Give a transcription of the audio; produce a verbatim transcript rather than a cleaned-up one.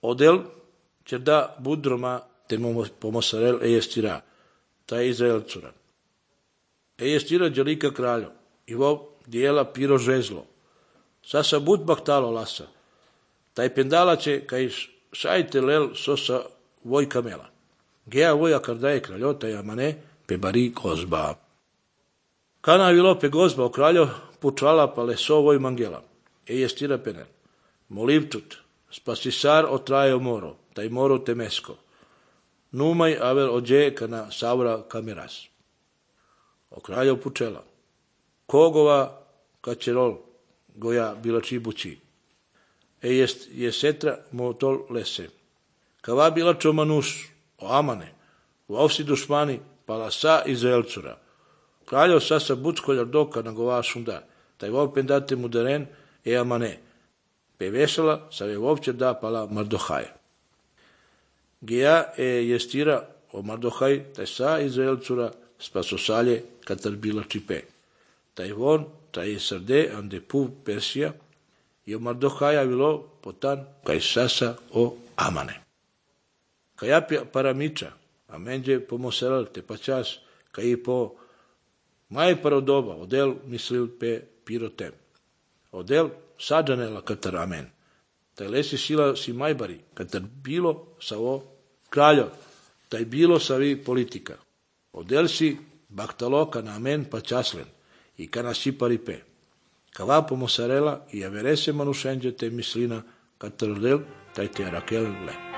Odel će da budroma te pomosarel ejestira, ta je Izraelcura. Ejestira djelika kraljo, i vo dijela piro žezlo. Sasa bud baktalo lasa, taj pendala će kaj šajte lel sosa voj kamela. Gea voja kardaje kraljota i amane pe bari gozba. Kana vilo pe gozba o kraljo pučala pa leso voj mangela. Ejestira penel. Molivčut, spasisar otraje moro, taj moro temesko. Numaj avel ođe kana savra kameras. O kraljo pučela. Kogova kačerol goja bila čibući. E jest je setra motol lese. Kava bila čomanuš o amane. U ovsi dušmani palasa Izraelcura. Kraljo sasa buckoljar doka na gova šunda. Taj vol pendate mudaren e amane. Pe vesela sa je vovče da pala Mardohaja. Geja e jestira o Mardohaj taj sa Izraelcura spasosalje katar bila čipe. Taj von, taj srde ande puv Persija i o Mardohaja bilo potan kaj sasa o amane. Kaja paramiča, a menđe pomoseral te pačas, kaj po maj parodoba, odel mislil pe pirotem. Odel sađanela katar amen. Taj lesi sila si majbari, katar bilo sa o kraljo, taj bilo sa vi politika. Odel si baktalo kana amen pačaslen i kana si paripe. Kava pomosarela i averese manušenđe te mislina katar odel taj te rakel le.